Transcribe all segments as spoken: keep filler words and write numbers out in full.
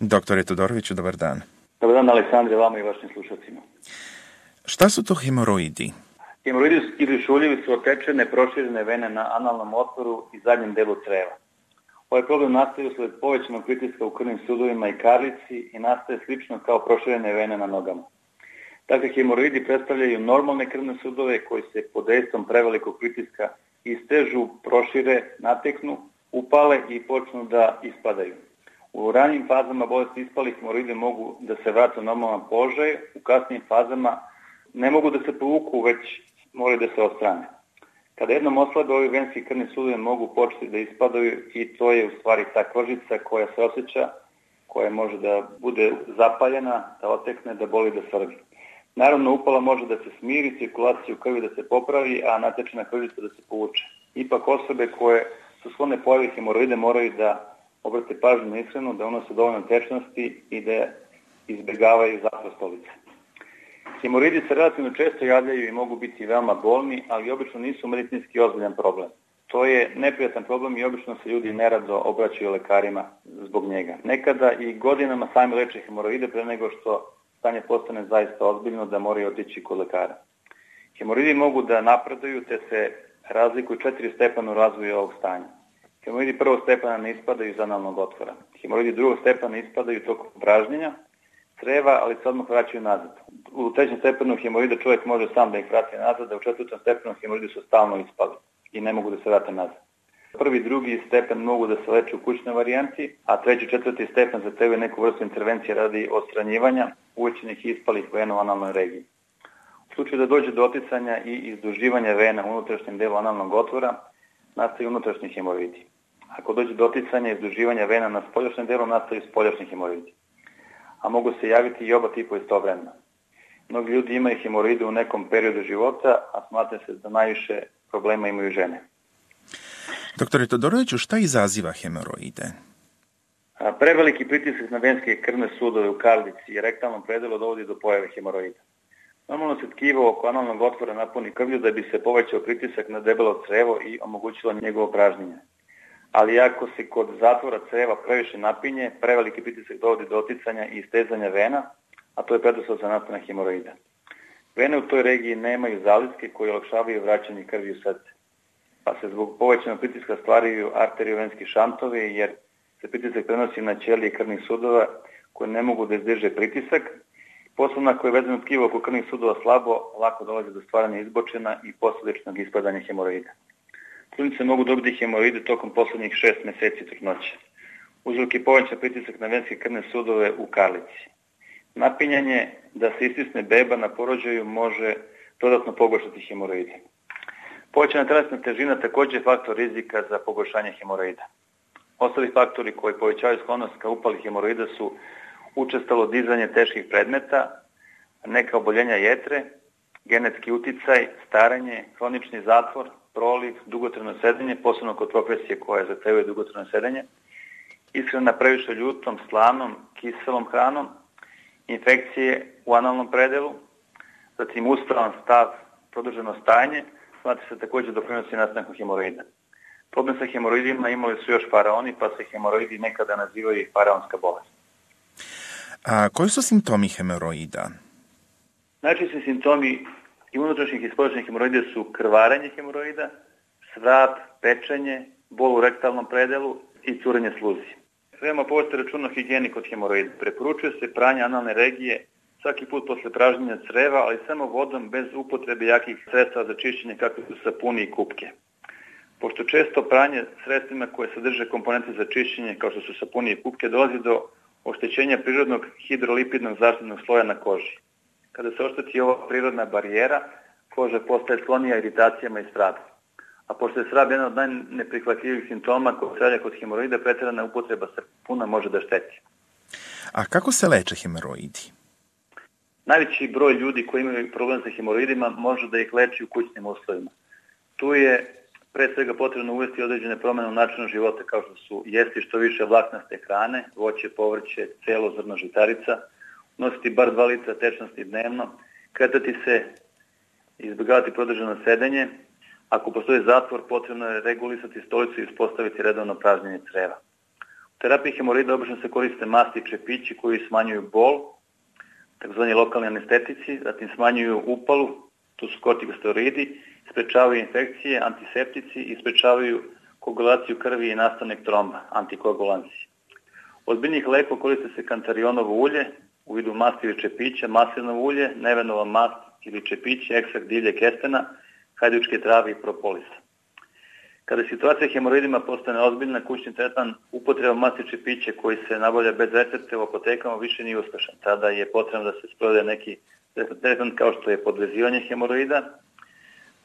Doktore Todoroviću, dobar dan. Dobar dan, Aleksandre, vama i vašim slušacima. Šta su to hemoroidi? Hemoroidi ili šuljevi su otečene, proširene vene na analnom otvoru i zadnjem delu creva. Ovaj problem nastaje usled povećanog pritiska u krvnim sudovima i karlici i nastaje slično kao proširene vene na nogama. Dakle, hemoroidi predstavljaju normalne krvne sudove koji se pod dejstvom prevelikog pritiska istežu, prošire, nateknu, upale i počnu da ispadaju. U ranijim fazama bolesti ispalih hemoroidi mogu da se vrate u normalan položaj, u kasnijim fazama ne mogu da se povuku, već moraju da se odstrane. Kada jednom oslabe, ovi venski krvni sudovi mogu početi da ispadaju i to je u stvari ta kožica koja se osjeća, koja može da bude zapaljena, da otekne, da boli, da svrbi. Naravno, upala može da se smiri, cirkulacija u krvi da se popravi, a natečena kožica da se povuče. Ipak osobe koje su sklone pojavi hemoroide moraju da obrate pažnju na ishranu, da unose dovoljno tečnosti i da izbjegavaju zatvor stolice. Hemoroidi se relativno često javljaju i mogu biti veoma bolni, ali obično nisu medicinski ozbiljan problem. To je neprijatan problem i obično se ljudi nerado obraćaju lekarima zbog njega. Nekada i godinama sami leče hemoroide pre nego što stanje postane zaista ozbiljno da moraju otići kod lekara. Hemoroidi mogu da napreduju te se razlikuju četiri stepena u razvoju ovog stanja. Hemoroidi prvog stepena ne ispadaju iz analnog otvora. Hemoroidi drugog stepena ispadaju tokom pražnjenja creva, ali se odmah vraćaju nazad. U trećem stepenu hemoroida čovjek može sam da ih vrati nazad, a u četvrtom stepenu hemoroidi su stalno ispali i ne mogu da se vrate nazad. Prvi i drugi stepen mogu da se leče u kućnoj varijanti, a treći i četvrti stepen zahtevaju neku vrstu intervencije radi odstranjivanja uvećenih i ispalih vena u analnoj regiji. U slučaju da dođe do oticanja i izduživanja vena u unutrašnjem delu analnog otvora, nastaju unutrašnji hemoroidi. Ako dođe do oticanja i izduživanja vena na spoljašnjem delu, nastaju spoljašnji hemoroidi. A mogu se javiti i oba tipa istovremeno. Mnogi ljudi imaju hemoroide u nekom periodu života, a smatra se da najviše problema imaju žene. Doktore Todoroviću, šta izaziva hemoroide? A, preveliki pritisak na venske krvne sudove u karlici i rektalnom predelu dovodi do pojave hemoroida. Normalno se tkivo oko analnog otvora napuni krvlju da bi se povećao pritisak na debelo crevo i omogućilo njegovo pražnjenje. Ali ako se kod zatvora creva previše napinje, preveliki pritisak dovodi do oticanja i istezanja vena, a to je preduslov za nastanak hemoroida. Vene u toj regiji nemaju zaliske koje olakšavaju vraćanje krvi u srce, pa se zbog povećanog pritiska stvaraju arteriovenski šantovi, jer se pritisak prenosi na ćelije krvnih sudova koje ne mogu da izdrže pritisak. Posebno ako je vezano tkivo oko krvnih sudova slabo, lako dolazi do stvaranja izbočena i posledičnog ispadanja hemoroida. Trudnice mogu dobiti hemoroide tokom poslednjih šest meseci trudnoće. Uzrok je povećan pritisak na venske krvne sudove u karlici. Napinjanje da se istisne beba na porođaju može dodatno pogoršati hemoroide. Povećana telesna težina takođe je faktor rizika za pogoršanje hemoroida. Ostali faktori koji povećavaju sklonost ka upali hemoroida su učestalo dizanje teških predmeta, neka oboljenja jetre, genetski uticaj, starenje, hronični zatvor, proliv, dugotrajno sedenje, posebno kod profesije koje zahtevaju dugotrajno sedenje, ishrana previše ljutom, slanom, kiselom hranom, infekcije u analnom predelu, zatim uspravan stav, produženo stajanje, smatra se takođe doprinosi nastanku hemoroida. Problem sa hemoroidima imali su još faraoni, pa se hemoroidi nekada nazivaju i faraonska bolest. A koji su simptomi hemoroida? Najčešći simptomi i unutrašnjih i spoljašnjih hemoroida su krvarenje hemoroida, svrab, pečenje, bol u rektalnom predelu i curenje sluzi. Veoma povesti računa o higijeni kod hemoroida. Preporučuje se pranje analne regije svaki put posle pražnjenja creva, ali samo vodom bez upotrebe jakih sredstava za čišćenje kakve su sapuni i kupke. Pošto često pranje sredstvima koje sadrže komponente za čišćenje kao što su sapuni i kupke dolazi do oštećenja prirodnog hidrolipidnog zaštitnog sloja na koži. Kada se ošteti ova prirodna barijera, koža postaje sklonija iritacijama i svraba. A pošto je svrab jedan od najneprihvatljivih simptoma koji se javlja kod hemoroida, preterana upotreba sapuna može da šteti. A kako se leče hemoroidi? Najveći broj ljudi koji imaju problem sa hemoroidima može da ih leči u kućnim uslovima. Tu je pre svega potrebno uvesti određene promene u načinu života kao što su jesti što više vlaknaste hrane, voće, povrće, celo zrno žitarica, nositi bar dva litra tečnosti dnevno, kretati se, izbjegavati produženo sedenje. Ako postoji zatvor, potrebno je regulisati stolicu i uspostaviti redovno pražnjenje creva. terapiji hemoroida obično se koriste masti i čepići koji smanjuju bol, takozvani lokalni anestetici, zatim smanjuju upalu, to su kortikosteroidi, sprečavaju infekcije, antiseptici i sprečavaju koagulaciju krvi i nastanak tromba, antikoagulancije. Od biljnih lekova koriste se kantarionovo ulje u vidu masti ili čepića, maslinovo ulje, nevenova mast ili čepići, ekstrakt divlje kestena, hajdučke trave i propolisa. Kada situacija hemoroidima postane ozbiljna, kućni tretman upotreba masti čepića koji se nabavlja bez recepta u apotekama više nije uspešan. Tada je potrebno da se sprovede neki tretman kao što je podvezivanje hemoroida,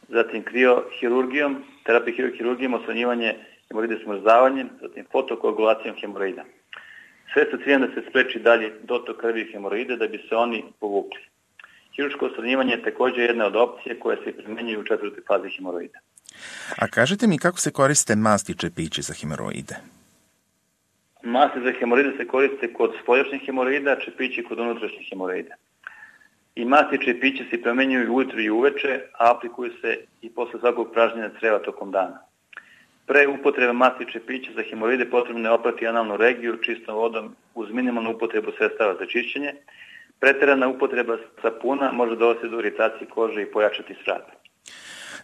zatim kriohirurgijom, terapija kriohirurgijom, osvanjivanje hemoroida smrzavanjem, zatim fotokoagulacijom hemoroida. Sve sa ciljem da se spreči dalje dotok krvi hemoroide da bi se oni povukli. Hirurško odstranjivanje je također jedna od opcije koje se primenjuju u četvrtoj fazi hemoroida. A kažete mi kako se koriste masti i čepići za hemoroide? Masti za hemoroide se koriste kod spoljašnjih hemoroida, čepići kod unutrašnjih hemoroida. I masti i čepići se primenjuju ujutro i uveče, a aplikuju se i posle svakog pražnjenja creva tokom dana. Pre upotrebe masti i čepića za hemoroide potrebno je oprati analnu regiju čistom vodom uz minimalnu upotrebu sredstava za čišćenje. Preterana upotreba sapuna može dovesti do iritacije kože i pojačati svrab.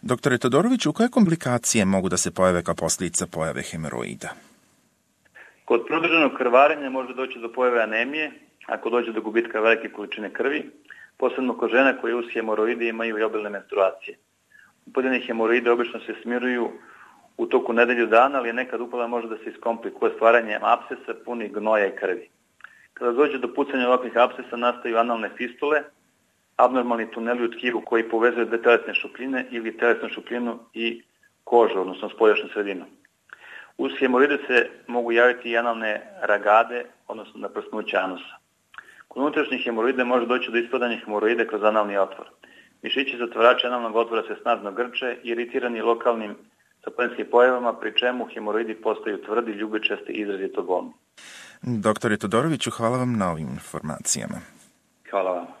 Doktore Todoroviću, koje komplikacije mogu da se pojave kao posljedica pojave hemoroida? Kod produženog krvarenja može doći do pojave anemije, ako dođe do gubitka velike količine krvi, posebno kod žena koje uz hemoroide imaju i obilne menstruacije. Upaljene hemoroide obično se smiruju u toku nedelju dana, ali nekad upala može da se iskomplikuje stvaranjem apsesa punih gnoja i krvi. Kada dođe do pucanja ovakvih apsesa, nastaju analne fistule, abnormalni tuneli u tkivu koji povezuju dve telesne šupljine ili telesnu šupljinu i kožu, odnosno spoljašnju sredinu. Uz hemoroide se mogu javiti i analne ragade, odnosno naprsnuće anusa. Kod unutrašnjih hemoroida može doći do ispadanja hemoroide kroz analni otvor. Mišići zatvarači analnog otvora se snažno grče, iritirani lokalnim saponskim pojavama, pri čemu hemoroidi postaju tvrdi, ljubičasti i izrazito bolni. Doktore Todoroviću, hvala vam na ovim informacijama. Hvala vam.